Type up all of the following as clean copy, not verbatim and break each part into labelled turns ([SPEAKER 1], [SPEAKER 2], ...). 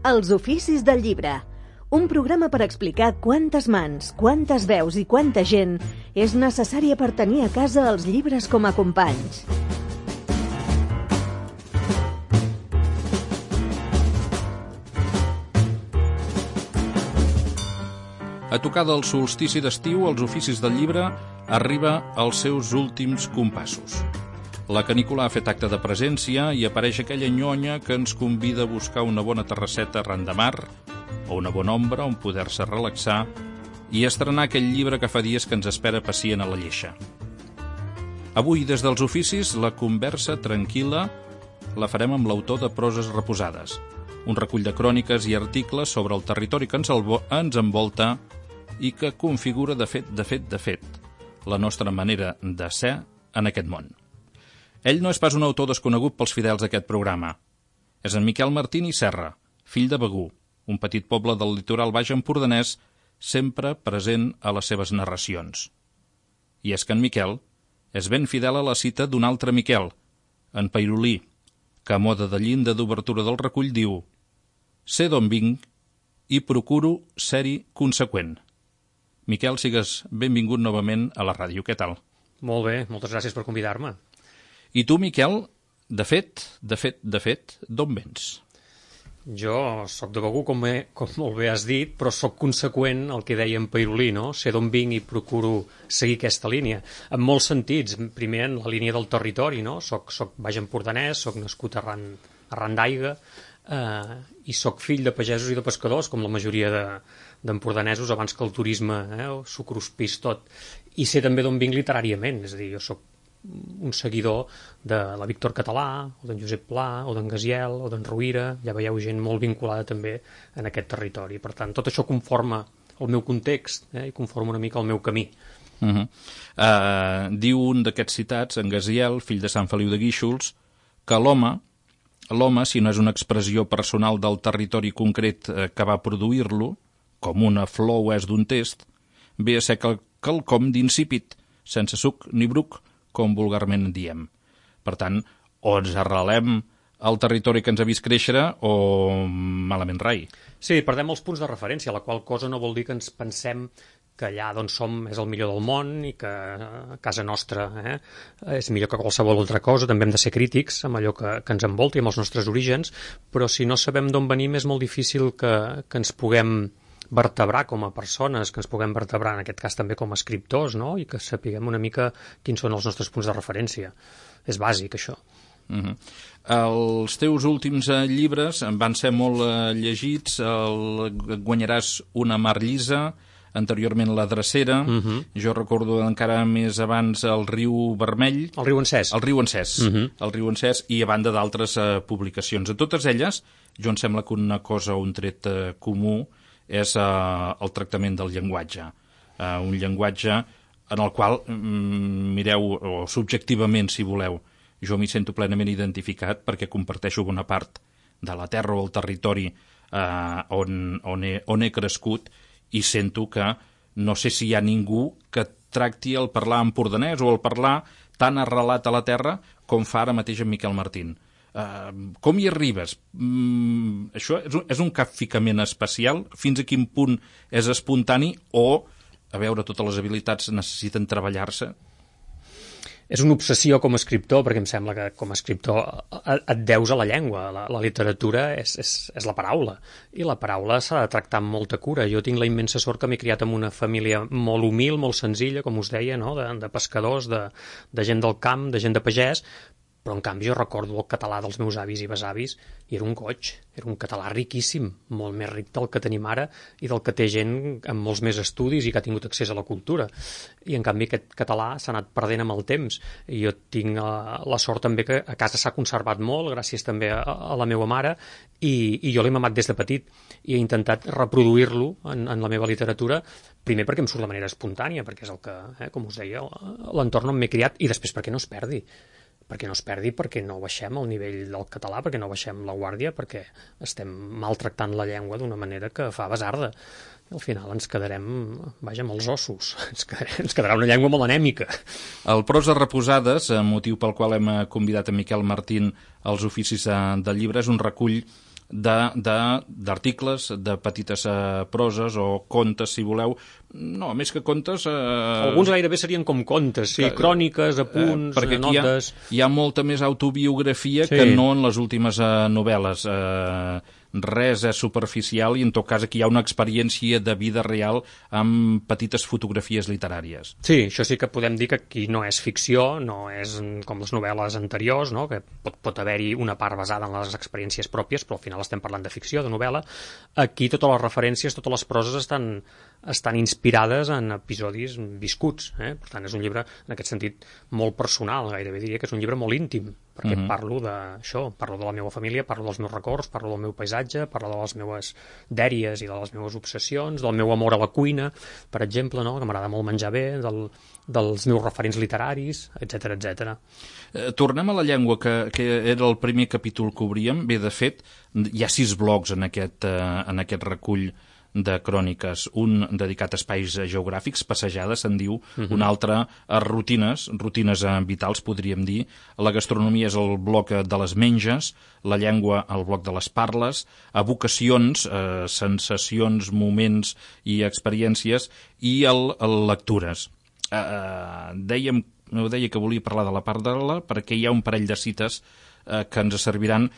[SPEAKER 1] Els oficis del llibre. Un programa per explicar quantes mans, quantes veus i quanta gent és necessària per tenir a casa els llibres com a companys.
[SPEAKER 2] A tocar del solstici d'estiu, els oficis del llibre arriba als seus últims compassos. La canícula ha fet acte de presència i apareix aquella nyonya que ens convida a buscar una bona terrasseta arran de mar o una bona ombra on poder-se relaxar i estrenar aquell llibre que fa dies que ens espera pacient a la lleixa. Avui, des dels oficis, la conversa tranquil·la la farem amb l'autor de Proses reposades, un recull de cròniques i articles sobre el territori que ens envolta i que configura, de fet, la nostra manera de ser en aquest món. Ell no és pas un autor desconegut pels fidels d'aquest programa. És en Miquel Martín i Serra, fill de Begur, un petit poble del litoral baix empordanès, sempre present a les seves narracions. I és que en Miquel és ben fidel a la cita d'un altre Miquel, en Peirolí, que a moda de llinda d'obertura del recull diu: «Sé d'on vinc i procuro ser-hi conseqüent». Miquel, sigues benvingut novament a la ràdio. Què tal?
[SPEAKER 3] Molt bé, moltes gràcies per convidar-me.
[SPEAKER 2] I tu, Miquel, de fet, d'on vens?
[SPEAKER 3] Jo sóc de Begur, com molt bé has dit, però sóc conseqüent al que deia en Peirolí, no? Sé d'on vinc i procuro seguir aquesta línia. En molts sentits. Primer, en la línia del territori, no? Soc baix empordanès, soc nascut arran d'Aiga, i soc fill de pagesos i de pescadors, com la majoria d'empordanesos, abans que el turisme s'ho cruspís tot. I sé també d'on vinc literàriament, és a dir, jo soc un seguidor de la Víctor Català, o d'en Josep Pla, o d'en Gaziel, o d'en Rovira. Ja veieu gent molt vinculada també en aquest territori. Per tant, tot això conforma el meu context i conforma una mica el meu camí.
[SPEAKER 2] Diu un d'aquests citats, en Gaziel, fill de Sant Feliu de Guíxols, que l'home, si no és una expressió personal del territori concret que va produir-lo, com una flor o és d'un test, ve a ser quelcom d'insípid, sense suc ni bruc, com vulgarment diem. Per tant, o ens arrelem al territori que ens ha vist créixer o malament rai.
[SPEAKER 3] Sí, perdem els punts de referència, la qual cosa no vol dir que ens pensem que allà d'on som és el millor del món i que a casa nostra és millor que qualsevol altra cosa. També hem de ser crítics amb allò que ens envolta i amb els nostres orígens, però si no sabem d'on venim és molt difícil que ens puguem vertebrar com a persones, que ens puguem vertebrar en aquest cas també com a escriptors, no? I que sapiguem una mica quins són els nostres punts de referència. És bàsic, això.
[SPEAKER 2] Els teus últims llibres van ser molt llegits. Guanyaràs una mar llisa, anteriorment La drecera, jo recordo encara més abans El riu vermell,
[SPEAKER 3] El riu encès,
[SPEAKER 2] El riu encès i a banda d'altres publicacions. A totes elles, jo em sembla que una cosa o un tret comú és el tractament del llenguatge. Un llenguatge en el qual, mireu, o subjectivament, si voleu, jo m'hi sento plenament identificat perquè comparteixo bona part de la terra o el territori on he crescut i sento que no sé si hi ha ningú que tracti el parlar empordanès o el parlar tan arrelat a la terra com fa ara mateix en Miquel Martín. Com hi arribes? Això és un capficament especial? Fins a quin punt és espontani? O, a veure, totes les habilitats necessiten treballar-se?
[SPEAKER 3] És una obsessió com a escriptor, perquè em sembla que com a escriptor et deus a la llengua. La literatura és la paraula, i la paraula s'ha de tractar amb molta cura. Jo tinc la immensa sort que m'he criat en una família molt humil, molt senzilla, com us deia, no? De pescadors, de gent del camp, de gent de pagès, però en canvi jo recordo el català dels meus avis i besavis i era un goig, era un català riquíssim, molt més ric del que tenim ara i del que té gent amb molts més estudis i que ha tingut accés a la cultura. I en canvi aquest català s'ha anat perdent amb el temps. I jo tinc la sort també que a casa s'ha conservat molt, gràcies també a la meva mare, i jo l'he mamat des de petit i he intentat reproduir-lo en la meva literatura, primer perquè em surt de manera espontània, perquè és el que, com us deia, l'entorn on m'he criat, i després perquè no es perdi. Perquè no baixem el nivell del català, perquè no baixem la guàrdia, perquè estem maltractant la llengua d'una manera que fa basarda. I al final ens quedarem, vaja, amb els ossos. Ens quedarà una llengua molt anèmica.
[SPEAKER 2] El Proses reposades, motiu pel qual hem convidat a Miquel Martín als oficis del llibre, és un recull d'articles, de petites proses o contes, si voleu. No, més que contes...
[SPEAKER 3] Alguns gairebé serien com contes, sí, cròniques, apunts,
[SPEAKER 2] perquè
[SPEAKER 3] notes...
[SPEAKER 2] Hi ha molta més autobiografia que no en les últimes novel·les. Res és superficial i en tot cas aquí hi ha una experiència de vida real amb petites fotografies literàries.
[SPEAKER 3] Sí, això sí que podem dir que aquí no és ficció, no és com les novel·les anteriors, no? Que pot haver-hi una part basada en les experiències pròpies, però al final estem parlant de ficció, de novel·la. Aquí totes les referències, totes les proses estan inspirades en episodis viscuts. Per tant, és un llibre, en aquest sentit, molt personal, gairebé diria que és un llibre molt íntim, perquè parlo d'això, parlo de la meva família, parlo dels meus records, parlo del meu paisatge, parlo de les meves dèries i de les meves obsessions, del meu amor a la cuina, per exemple, no? Que m'agrada molt menjar bé, dels meus referents literaris, etc etc.
[SPEAKER 2] Tornem a la llengua, que era el primer capítol que obríem. Bé, de fet, hi ha 6 blocs en aquest recull de cròniques, un dedicat a espais geogràfics, passejades, se'n diu, un altre a rutines vitals, podríem dir. La gastronomia és el bloc de les menges, la llengua el bloc de les parles, evocacions, sensacions, moments i experiències, i el lectures. Deia que volia parlar de la parla perquè hi ha un parell de cites que ens serviran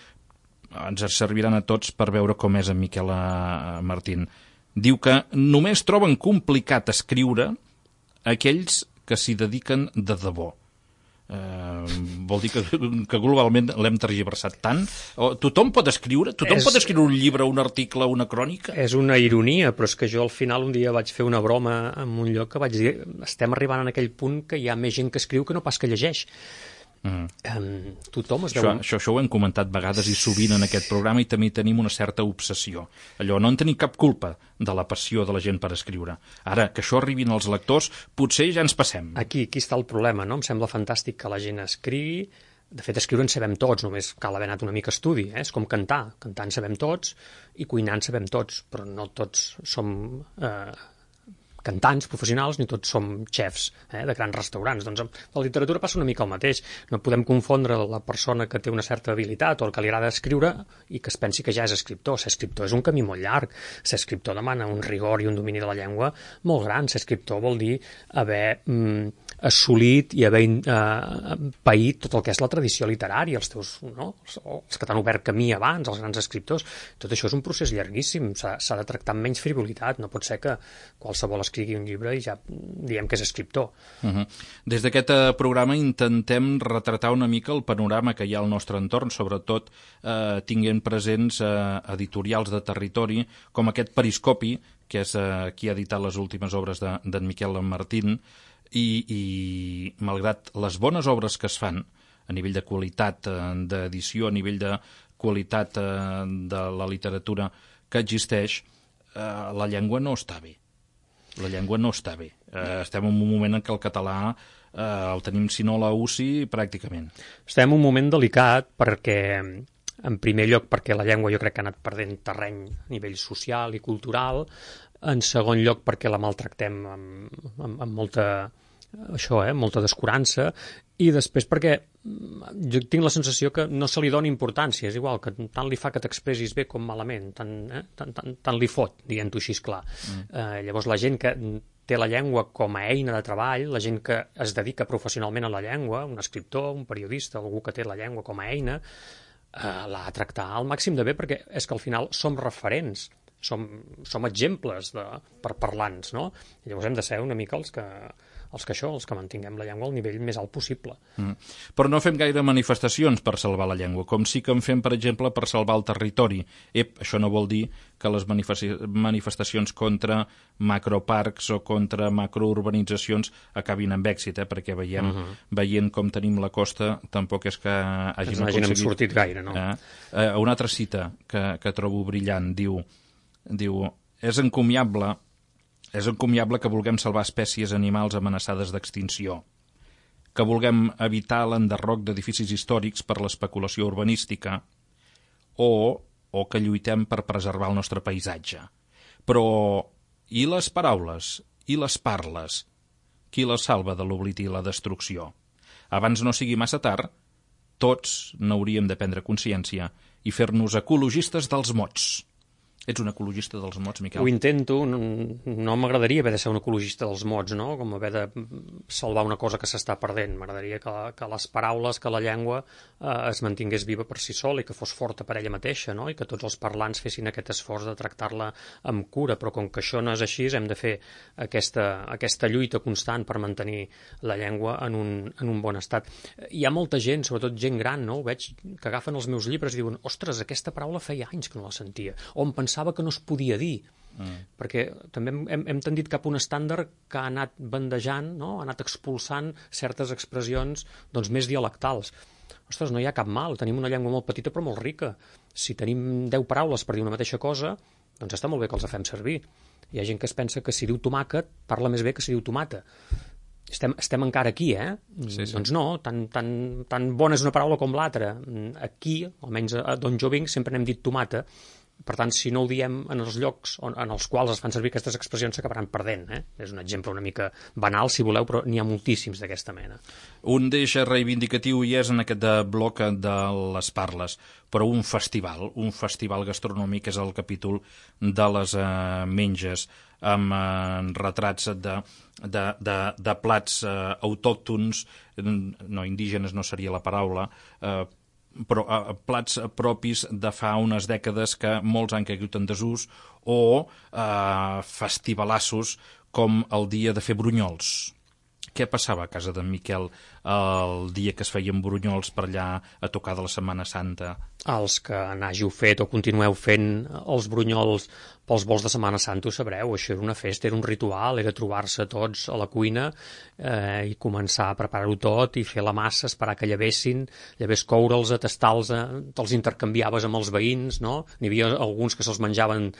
[SPEAKER 2] a tots per veure com és en Miquel Martín. Diu que només troben complicat escriure aquells que s'hi dediquen de debò. Vol dir que globalment l'hem tergiversat tant. Tothom pot escriure? Tothom pot escriure un llibre, un article, una crònica?
[SPEAKER 3] És una ironia, però és que jo al final un dia vaig fer una broma en un lloc que vaig dir estem arribant en aquell punt que hi ha més gent que escriu que no pas que llegeix. Tothom es veu...
[SPEAKER 2] Això ho hem comentat vegades i sovint en aquest programa, i també tenim una certa obsessió. Allò, no en tenim cap culpa de la passió de la gent per escriure. Ara, que això arribin als lectors, potser ja ens passem.
[SPEAKER 3] Aquí està el problema, no? Em sembla fantàstic que la gent escrigui. De fet, escriure en sabem tots, només cal haver anat una mica a estudi. És com cantar. Cantar en sabem tots i cuinar en sabem tots, però no tots som... cantants professionals, ni tots som xefs de grans restaurants. Doncs amb la literatura passa una mica el mateix. No podem confondre la persona que té una certa habilitat o el que li agrada escriure i que es pensi que ja és escriptor. Ser escriptor és un camí molt llarg. Ser escriptor demana un rigor i un domini de la llengua molt gran. Ser escriptor vol dir haver assolit i haver paït tot el que és la tradició literària, els que t'han obert camí abans, els grans escriptors. Tot això és un procés llarguíssim. S'ha de tractar amb menys frivolitat. No pot ser que qualsevol escrigui un llibre i ja diem que és escriptor.
[SPEAKER 2] Des d'aquest programa intentem retratar una mica el panorama que hi ha al nostre entorn, sobretot tinguent presents editorials de territori, com aquest Periscopi, que és qui ha editat les últimes obres d'en Miquel Martín, i malgrat les bones obres que es fan a nivell de qualitat d'edició, a nivell de qualitat de la literatura que existeix, la llengua no està bé. La llengua no està bé. Estem en un moment en què el català el tenim, si no a la UCI, pràcticament.
[SPEAKER 3] Estem en un moment delicat perquè, en primer lloc, perquè la llengua jo crec que ha anat perdent terreny a nivell social i cultural. En segon lloc, perquè la maltractem amb molta... molta descurança, i després perquè jo tinc la sensació que no se li dona importància, és igual, que tant li fa que t'expressis bé com malament, tant li fot, dient-ho així clar. Llavors la gent que té la llengua com a eina de treball, la gent que es dedica professionalment a la llengua, un escriptor, un periodista, algú que té la llengua com a eina, l'ha de tractar al màxim de bé, perquè és que al final som referents, som exemples per parlants, no? I llavors hem de ser una mica els que mantinguem la llengua al nivell més alt possible.
[SPEAKER 2] Però no fem gaire manifestacions per salvar la llengua, com sí que en fem, per exemple, per salvar el territori. Això no vol dir que les manifestacions contra macroparcs o contra macrourbanitzacions acabin amb èxit, perquè veient com tenim la costa, tampoc és que hàgim aconseguit...
[SPEAKER 3] sortit gaire, no?
[SPEAKER 2] Una altra cita que trobo brillant, diu és encomiable que vulguem salvar espècies animals amenaçades d'extinció, que vulguem evitar l'enderroc d'edificis històrics per l'especulació urbanística o que lluitem per preservar el nostre paisatge. Però i les paraules i les parles? Qui les salva de l'oblit i la destrucció? Abans no sigui massa tard, tots n'hauríem de prendre consciència i fer-nos ecologistes dels mots. Ets un ecologista dels mots, Miquel?
[SPEAKER 3] Ho intento, no m'agradaria haver de ser un ecologista dels mots, no? Com haver de salvar una cosa que s'està perdent. M'agradaria que les paraules, que la llengua es mantingués viva per si sola i que fos forta per ella mateixa, no? I que tots els parlants fessin aquest esforç de tractar-la amb cura, però com que això no és així, hem de fer aquesta lluita constant per mantenir la llengua en un bon estat. Hi ha molta gent, sobretot gent gran, no? Ho veig, que agafen els meus llibres i diuen, ostres, aquesta paraula feia anys que no la sentia, o em pensava que no es podia dir, perquè també hem tendit cap a un estàndard que ha anat bandejant, no? Ha anat expulsant certes expressions doncs, més dialectals. Ostres, no hi ha cap mal, tenim una llengua molt petita però molt rica. Si tenim 10 paraules per dir una mateixa cosa, doncs està molt bé que els fem servir. Hi ha gent que es pensa que si diu tomàquet parla més bé que si diu tomata. Estem encara aquí,
[SPEAKER 2] Sí.
[SPEAKER 3] Doncs no, tan bona és una paraula com l'altra. Aquí, almenys d'on jo vinc, sempre n'hem dit tomata. Per tant, si no ho diem en els llocs en els quals es fan servir aquestes expressions, s'acabaran perdent. És un exemple una mica banal, si voleu, però n'hi ha moltíssims d'aquesta mena.
[SPEAKER 2] Un d'eix reivindicatiu hi és en aquest bloc de les parles, però un festival gastronòmic és el capítol de les menges, amb retrats de plats autòctons, no, indígenes no seria la paraula, però plats propis de fa unes dècades que molts han caigut en desús, o festivalassos com el dia de fer brunyols. Què passava a casa d'en Miquel el dia que es feien brunyols per allà a tocar de la Setmana Santa?
[SPEAKER 3] Els que n'hàgiu fet o continueu fent els brunyols pels vols de Setmana Santa ho sabreu, això era una festa, era un ritual, era trobar-se tots a la cuina i començar a preparar-ho tot i fer la massa, esperar que llevessin, coure'ls, tastar-los, te'ls intercanviaves amb els veïns, no? N'hi havia alguns que se'ls menjaven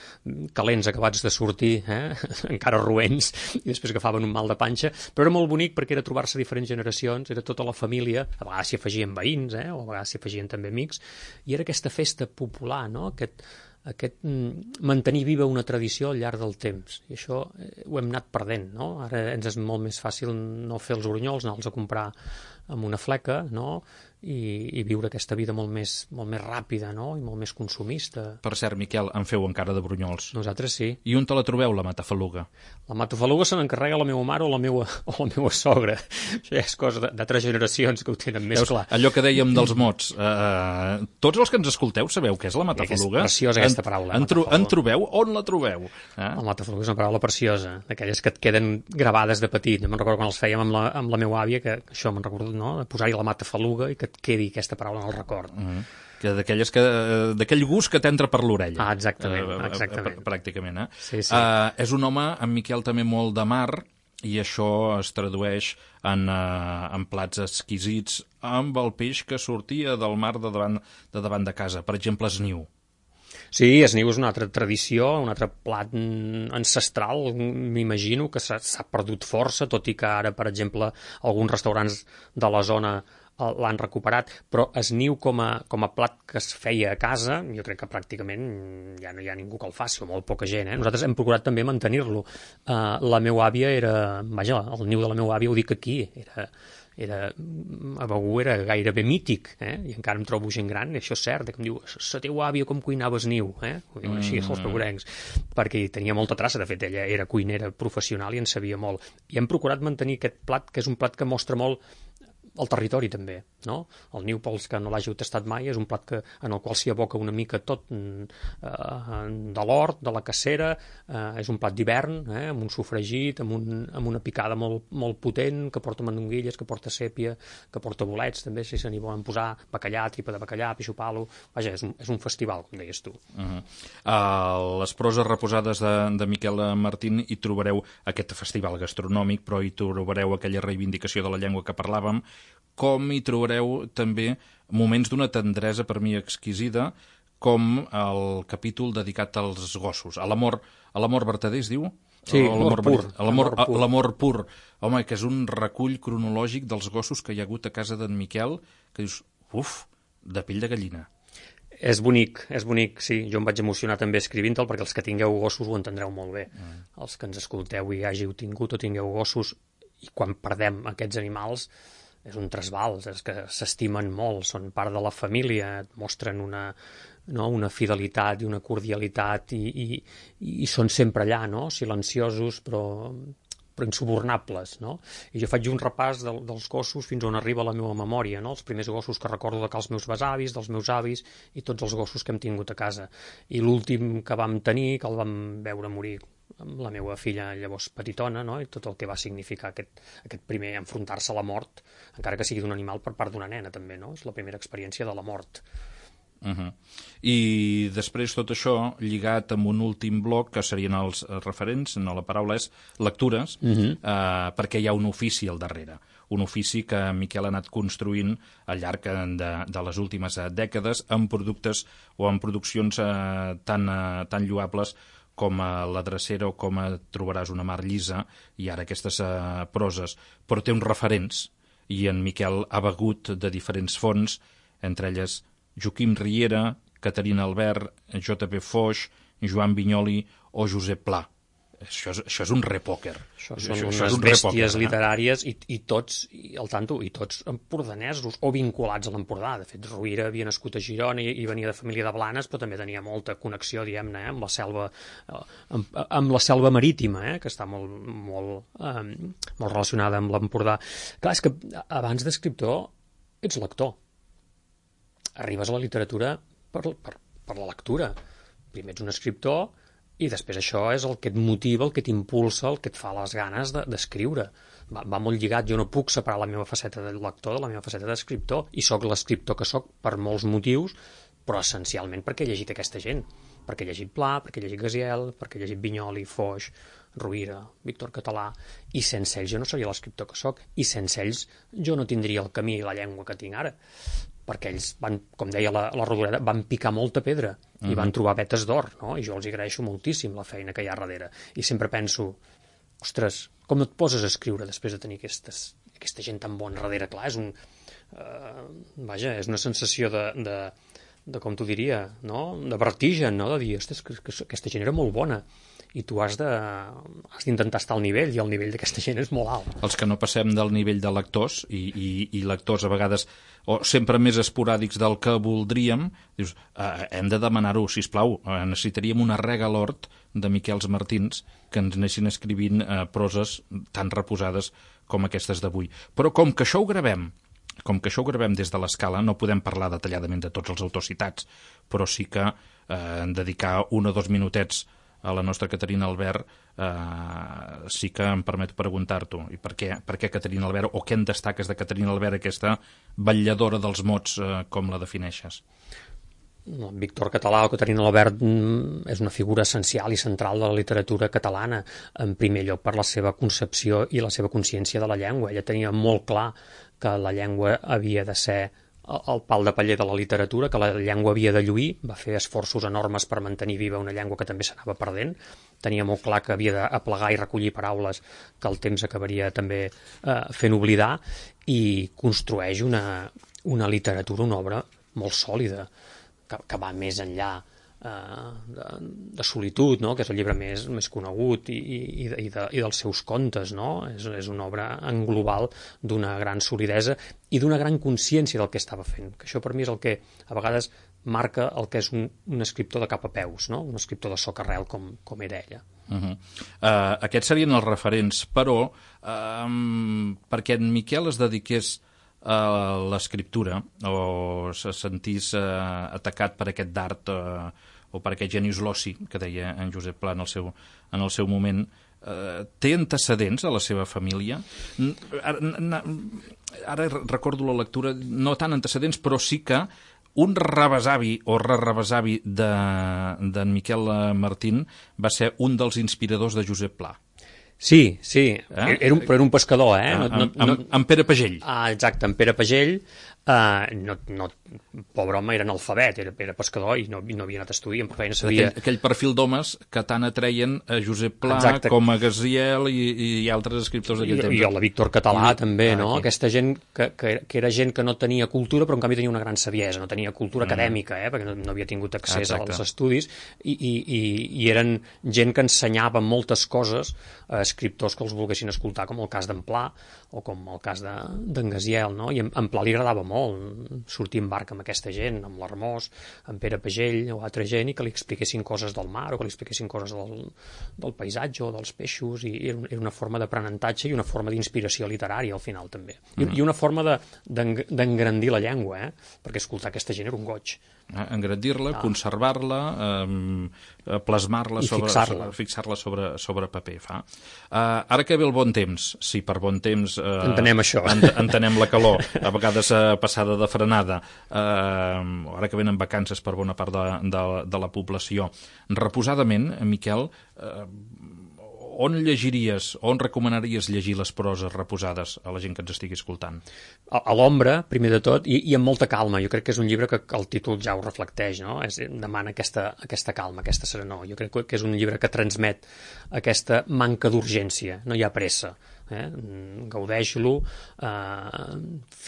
[SPEAKER 3] calents acabats de sortir, encara roents, i després agafaven un mal de panxa, però era molt bonic perquè era trobar-se diferents generacions, era tota la família, a vegades s'hi afegien veïns, o a vegades s'hi afegien també amics, i era aquesta festa popular, no? Aquest mantenir viva una tradició al llarg del temps. I això ho hem anat perdent, no? Ara ens és molt més fàcil no fer els brunyols, anar-los a comprar amb una fleca, no? I viure aquesta vida molt més ràpida, no? I molt més consumista.
[SPEAKER 2] Per cert, Miquel, en feu encara de brunyols?
[SPEAKER 3] Nosaltres sí.
[SPEAKER 2] I on te la trobeu, la matafaluga?
[SPEAKER 3] La matafaluga se n'encarrega la meva mare o la meva sogra. Això ja és cosa d'altres generacions que ho tenen més clar.
[SPEAKER 2] Allò que dèiem dels mots. Tots els que ens escolteu sabeu què és la matafaluga?
[SPEAKER 3] És preciosa aquesta paraula.
[SPEAKER 2] En trobeu? On la trobeu?
[SPEAKER 3] La matafaluga és una paraula preciosa, d'aquelles que et queden gravades de petit. Jo me'n recordo quan els fèiem amb la meva àvia, que això me'n recordo, no? Posar-hi la matafaluga i que et quedi aquesta paraula en el record.
[SPEAKER 2] Que d'aquell gust que t'entra per l'orella.
[SPEAKER 3] Exactament.
[SPEAKER 2] Pràcticament,
[SPEAKER 3] Sí.
[SPEAKER 2] És un home, en Miquel, també molt de mar, i això es tradueix en plats exquisits amb el peix que sortia del mar de davant de casa. Per exemple, esniu.
[SPEAKER 3] Sí, esniu és una altra tradició, un altre plat ancestral, m'imagino, que s'ha perdut força, tot i que ara, per exemple, alguns restaurants de la zona l'han recuperat, però esniu com a plat que es feia a casa, jo crec que pràcticament ja no hi ha ningú que el faci, o molt poca gent. Nosaltres hem procurat també mantenir-lo. La meva àvia el niu de la meva àvia, ho dic aquí, a Begur era gairebé mític, i encara em trobo gent gran, i això és cert, que em diu, la teva àvia com cuinava esniu, ho diuen així els begurencs, perquè tenia molta traça, de fet ella era cuinera professional i en sabia molt, i hem procurat mantenir aquest plat, que és un plat que mostra molt el territori també, no? El niu, pels que no l'hàgiu tastat mai, és un plat en el qual s'hi aboca una mica tot de l'hort, de la cacera, és un plat d'hivern, amb un sofregit, amb una picada molt potent, que porta mandonguilles, que porta sèpia, que porta bolets, també, si se n'hi volen posar, bacallà, tripa de bacallà, pixopalo. Vaja, és un festival, com deies tu.
[SPEAKER 2] A les proses reposades de Miquel Martín hi trobareu aquest festival gastronòmic, però hi trobareu aquella reivindicació de la llengua que parlàvem, com hi trobareu també moments d'una tendresa per mi exquisida, com el capítol dedicat als gossos, a l'amor vertader, es diu?
[SPEAKER 3] Sí, l'amor pur.
[SPEAKER 2] Home, que és un recull cronològic dels gossos que hi ha hagut a casa d'en Miquel, que dius, de pell de gallina.
[SPEAKER 3] És bonic, sí. Jo em vaig emocionar també escrivint-te'l, perquè els que tingueu gossos ho entendreu molt bé. Els que ens escolteu i hàgiu tingut o tingueu gossos, i quan perdem aquests animals és un trasbals, és que s'estimen molt, són part de la família, et mostren una fidelitat i una cordialitat i són sempre allà, no? Silenciosos però insubornables, no? I jo faig un repàs dels gossos fins on arriba la meva memòria, no? Els primers gossos que recordo dels meus besavis, dels meus avis i tots els gossos que hem tingut a casa. I l'últim que vam tenir, que el vam veure morir amb la meva filla llavors petitona, no? I tot el que va significar aquest primer enfrontar-se a la mort, encara que sigui d'un animal per part d'una nena també, no? És la primera experiència de la mort.
[SPEAKER 2] I després tot això lligat amb un últim bloc que serien els referents, no, la paraula és lectures, perquè hi ha un ofici al darrere, un ofici que Miquel ha anat construint al llarg de les últimes dècades amb productes o amb produccions tan lloables com la Drecera o com Trobaràs una mar llisa i ara aquestes proses, però té uns referents i en Miquel ha begut de diferents fonts, entre elles Joaquim Riera, Caterina Albert, J.P. Foix, Joan Vinyoli o Josep Pla. Això és un repòquer.
[SPEAKER 3] Això són unes bèsties literàries i tots, al tanto, i tots empordanesos o vinculats a l'Empordà. De fet, Rovira havia nascut a Girona i venia de família de Blanes, però també tenia molta connexió, diguem-ne, amb la selva marítima, que està molt relacionada amb l'Empordà. Clar, és que abans d'escriptor ets lector. Arribes a la literatura per la lectura. Primer ets un escriptor i després això és el que et motiva, el que t'impulsa, el que et fa les ganes d'escriure. Va molt lligat, jo no puc separar la meva faceta de lector de la meva faceta d'escriptor i sóc l'escriptor que sóc per molts motius, però essencialment perquè he llegit aquesta gent, perquè he llegit Pla, perquè he llegit Gaziel, perquè he llegit Vinyoli, Foix, Rovira, Víctor Català, i sense ells jo no seria l'escriptor que sóc, i sense ells jo no tindria el camí i la llengua que tinc ara, perquè ells van, com deia la Rodoreda, van picar molta pedra i van trobar vetes d'or, no? I jo els agraeixo moltíssim la feina que hi ha darrere. I sempre penso, ostres, com et poses a escriure després de tenir aquesta gent tan bona darrere? Clar, és és una sensació de com t'ho diria, no? De vertigen, no? De dir, ostres, que aquesta gent era molt bona i tu has d'intentar estar al nivell i el nivell d'aquesta gent és molt alt.
[SPEAKER 2] Els que no passem del nivell de lectors i lectors a vegades o sempre més esporàdics del que voldríem, dius, hem de demanar-ho, sisplau, necessitaríem una rega a l'hort de Miquels Martins que ens anessin escrivint proses tan reposades com aquestes d'avui. Però com que això ho gravem des de l'Escala, no podem parlar detalladament de tots els autors citats, però sí que dedicar 1 o 2 minutets a la nostra Caterina Albert sí que em permet preguntar-t'ho. I per què Caterina Albert, o què en destaques de Caterina Albert, aquesta vetlladora dels mots, com la defineixes?
[SPEAKER 3] Víctor Català o Caterina Albert és una figura essencial i central de la literatura catalana, en primer lloc per la seva concepció i la seva consciència de la llengua. Ella tenia molt clar que la llengua havia de ser el pal de paller de la literatura, que la llengua havia de lluir, va fer esforços enormes per mantenir viva una llengua que també s'anava perdent, tenia molt clar que havia d'aplegar i recollir paraules que el temps acabaria també fent oblidar, i construeix una literatura, una obra molt sòlida, que va més enllà de Solitud, no? Que és el llibre més conegut, i dels seus contes, no? És una obra en global d'una gran solidesa i d'una gran consciència del que estava fent, que això per mi és el que a vegades marca el que és un escriptor de cap a peus, no? Un escriptor de socarrel com era ella.
[SPEAKER 2] Aquests serien els referents, però perquè en Miquel es dediqués a l'escriptura o se sentís atacat per aquest dard o per aquest genius loci que deia en Josep Pla en el seu moment, té antecedents a la seva família? Ara recordo la lectura, no tant antecedents, però sí que un rebesavi o rebesavi d'en Miquel Martín va ser un dels inspiradors de Josep Pla.
[SPEAKER 3] Sí, però era un pescador,
[SPEAKER 2] En Pere Pagell.
[SPEAKER 3] Exacte, en Pere Pagell. No pobre home era analfabet, era pescador i no havia anat a estudiar, però feina sabia...
[SPEAKER 2] Aquell perfil d'homes que tant atreien a Josep Pla, com a Gaziel i altres escriptors d'aquell temps.
[SPEAKER 3] I a la Víctor Català també, no? Aquesta gent que era gent que no tenia cultura, però en canvi tenia una gran saviesa, no tenia cultura acadèmica, perquè no havia tingut accés als estudis, i eren gent que ensenyava moltes coses a escriptors que els volguessin escoltar, com el cas d'en Pla o com el cas d'en Gaziel, no? I en Pla li agradava molt sortir en barca amb aquesta gent, amb l'Hermós, amb Pere Pagell o altra gent, i que li expliquessin coses del mar o que li expliquessin coses del paisatge o dels peixos, i era una forma d'aprenentatge i una forma d'inspiració literària al final també. I una forma d'engrandir la llengua, perquè escoltar aquesta gent era un goig.
[SPEAKER 2] Engrandir-la, conservar-la, plasmar-la, fixar-la sobre paper. Ara que ve el bon temps, sí, per bon temps
[SPEAKER 3] entenem això,
[SPEAKER 2] entenem la calor, a vegades passada de frenada, ara que venen vacances per bona part de la població. Reposadament, Miquel, on llegiries, on recomanaries llegir les proses reposades a la gent que ens estigui escoltant?
[SPEAKER 3] A l'ombra, primer de tot, i amb molta calma. Jo crec que és un llibre que el títol ja ho reflecteix, no? Demana aquesta calma, aquesta serenor. Jo crec que és un llibre que transmet aquesta manca d'urgència, no hi ha pressa. Gaudeix-lo,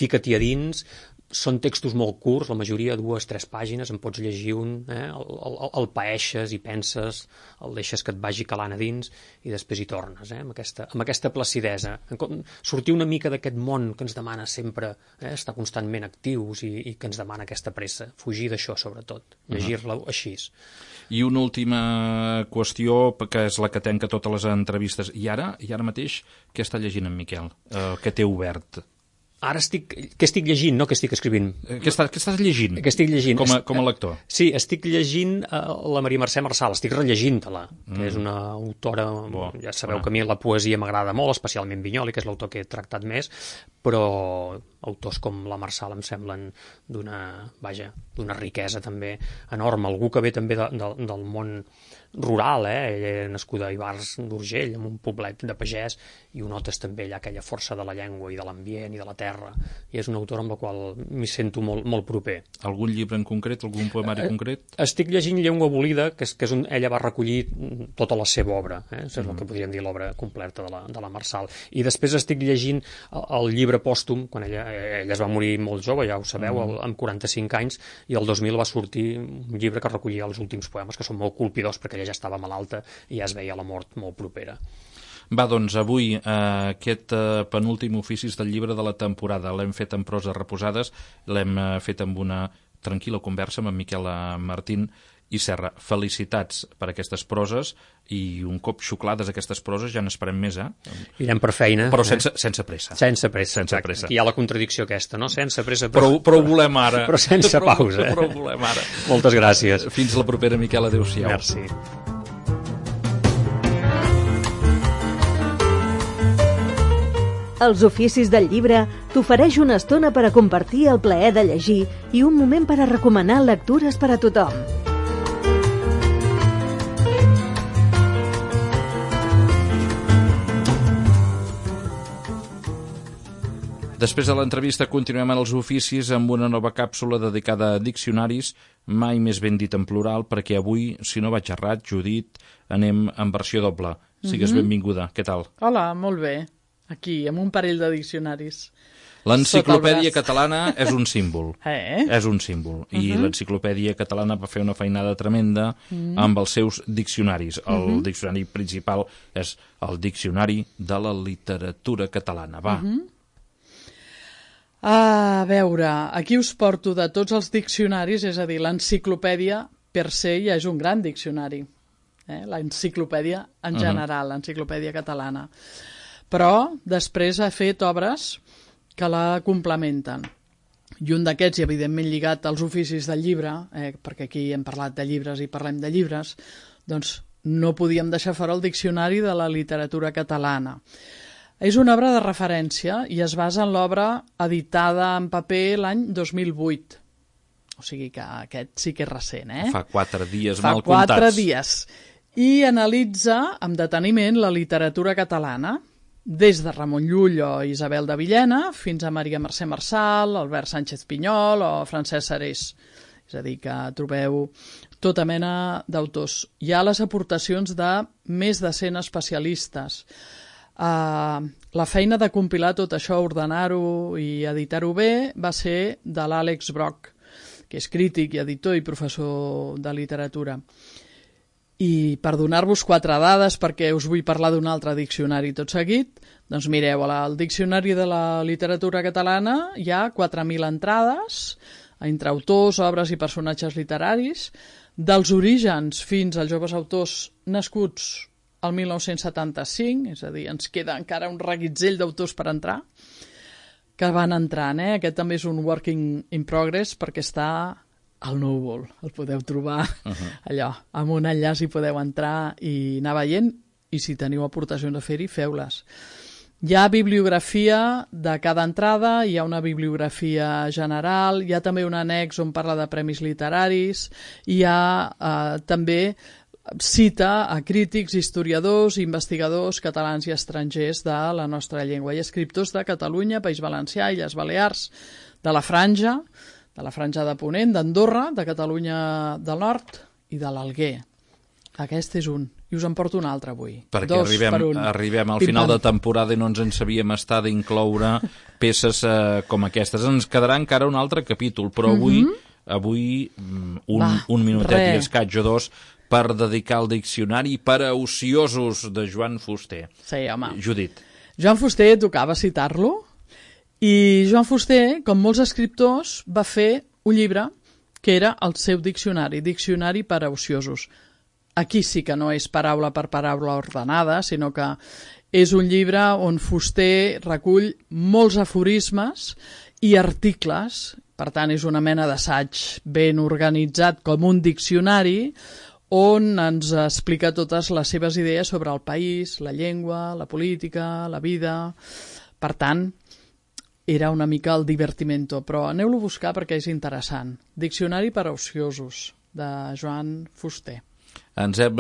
[SPEAKER 3] fica-t'hi a dins. Són textos molt curts, la majoria 2-3 pàgines, en pots llegir un, el paeixes i penses, el deixes que et vagi calant a dins i després hi tornes, amb aquesta placidesa. Sortir una mica d'aquest món que ens demana sempre estar constantment actius i que ens demana aquesta pressa. Fugir d'això, sobretot. Llegir-la així.
[SPEAKER 2] I una última qüestió, que és la que tanca totes les entrevistes. I ara mateix, què està llegint en Miquel? Què té obert?
[SPEAKER 3] Ara què estic llegint, no què estic escrivint.
[SPEAKER 2] Què estàs llegint?
[SPEAKER 3] Què estic llegint?
[SPEAKER 2] Com a lector?
[SPEAKER 3] Sí, estic llegint la Maria Mercè Marçal, estic rellegint-la, que és una autora, ja sabeu que a mi la poesia m'agrada molt, especialment Vinyoli, que és l'autor que he tractat més, però autors com la Marçal em semblen d'una riquesa també enorme. Algú que ve també del món rural, ella era nascuda a Ivars d'Urgell, en un poblet de pagès, i ho notes també allà aquella força de la llengua i de l'ambient i de la terra, i és una autora amb la qual m'hi sento molt, molt proper.
[SPEAKER 2] Algun llibre en concret, algun poemari concret?
[SPEAKER 3] Estic llegint Llengua abolida, que és ella va recollir tota la seva obra, és el que podríem dir l'obra completa de la Marçal, i després estic llegint el llibre pòstum, quan ella es va morir molt jove, ja ho sabeu, amb 45 anys, i el 2000 va sortir un llibre que recollia els últims poemes, que són molt colpidors, perquè ella ja estava malalta i ja es veia la mort molt propera.
[SPEAKER 2] Va, doncs, avui aquest penúltim oficis del llibre de la temporada l'hem fet en proses reposades, l'hem fet amb una tranquil·la conversa amb en Miquel Martín i Serra. Felicitats per aquestes proses, i un cop xuclades aquestes proses ja n'esperem més,
[SPEAKER 3] Irem per feina.
[SPEAKER 2] Però sense pressa.
[SPEAKER 3] Sense pressa. Aquí hi ha la contradicció aquesta, no? Sense pressa.
[SPEAKER 2] Però ho volem ara.
[SPEAKER 3] Però sense pausa.
[SPEAKER 2] Però ho volem ara.
[SPEAKER 3] Moltes gràcies.
[SPEAKER 2] Fins la propera, Miquel. Adéu-siau.
[SPEAKER 3] Merci.
[SPEAKER 1] Els oficis del llibre t'ofereix una estona per a compartir el plaer de llegir i un moment per a recomanar lectures per a tothom.
[SPEAKER 2] Després de l'entrevista continuem en els oficis amb una nova càpsula dedicada a diccionaris, mai més ben dit en plural, perquè avui, si no vaig errat, Judit, anem en versió doble. Sigues benvinguda. Què tal?
[SPEAKER 4] Hola, molt bé. Aquí, amb un parell de diccionaris.
[SPEAKER 2] L'enciclopèdia catalana és un símbol.
[SPEAKER 4] És
[SPEAKER 2] un símbol. I l'enciclopèdia catalana va fer una feinada tremenda amb els seus diccionaris. El diccionari principal és el Diccionari de la Literatura Catalana. Va.
[SPEAKER 4] A veure, aquí us porto de tots els diccionaris, és a dir, l'enciclopèdia per se ja és un gran diccionari. L'enciclopèdia en general, l'enciclopèdia catalana. Però després ha fet obres que la complementen. I un d'aquests, i evidentment lligat als oficis del llibre, perquè aquí hem parlat de llibres i parlem de llibres, doncs no podíem deixar fora el Diccionari de la Literatura Catalana. És una obra de referència i es basa en l'obra editada en paper l'any 2008. O sigui que aquest sí que és recent,
[SPEAKER 2] Fa 4 dies
[SPEAKER 4] mal
[SPEAKER 2] comptats.
[SPEAKER 4] Fa 4 dies. I analitza amb deteniment la literatura catalana des de Ramon Llull o Isabel de Villena fins a Maria Mercè Marçal, Albert Sánchez Pinyol o Francesc Serés. És a dir, que trobeu tota mena d'autors. Hi ha les aportacions de més de 100 especialistes. La feina de compilar tot això, ordenar-ho i editar-ho bé va ser de l'Àlex Brock, que és crític i editor i professor de literatura. I per donar-vos 4 dades, perquè us vull parlar d'un altre diccionari tot seguit, doncs mireu, al Diccionari de la Literatura Catalana hi ha 4.000 entrades entre autors, obres i personatges literaris, dels orígens fins als joves autors nascuts al 1975, és a dir, ens queda encara un reguitzell d'autors per entrar, que van entrant. Aquest també és un working in progress perquè està al núvol, el podeu trobar allò, amb un enllaç hi podeu entrar i anar veient, i si teniu aportacions a fer-hi, feu-les. Hi ha bibliografia de cada entrada, hi ha una bibliografia general, hi ha també un annex on parla de premis literaris, hi ha també cita a crítics, historiadors i investigadors catalans i estrangers de la nostra llengua i escriptors de Catalunya, País Valencià, Illes Balears, de la Franja de Ponent, d'Andorra, de Catalunya del Nord i de l'Alguer. Aquest és un. I us en porto un altre avui.
[SPEAKER 2] Perquè arribem al final de temporada i no ens en sabíem estar d'incloure peces com aquestes. Ens quedarà encara un altre capítol, però avui un minutet i escaig o dos per dedicar el diccionari per a ociosos de Joan Fuster.
[SPEAKER 4] Sí, home.
[SPEAKER 2] Judit.
[SPEAKER 4] Joan Fuster tocava citar-lo, i Joan Fuster, com molts escriptors, va fer un llibre que era el seu diccionari, Diccionari per a ociosos. Aquí sí que no és paraula per paraula ordenada, sinó que és un llibre on Fuster recull molts aforismes i articles, per tant és una mena d'assaig ben organitzat com un diccionari, on ens explica totes les seves idees sobre el país, la llengua, la política, la vida. Per tant, era una mica el divertimento, però aneu-lo a buscar perquè és interessant. Diccionari per a ociosos, de Joan Fuster.
[SPEAKER 2] Ens hem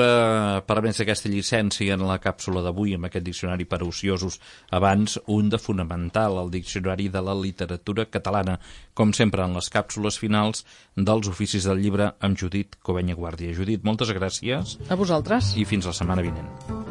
[SPEAKER 2] permès aquesta llicència en la càpsula d'avui amb aquest diccionari per a ociosos. Abans, un de fonamental, el diccionari de la literatura catalana, com sempre en les càpsules finals dels oficis del llibre amb Judit Covenya Guàrdia. Judit, moltes gràcies.
[SPEAKER 4] A vosaltres.
[SPEAKER 2] I fins la setmana vinent.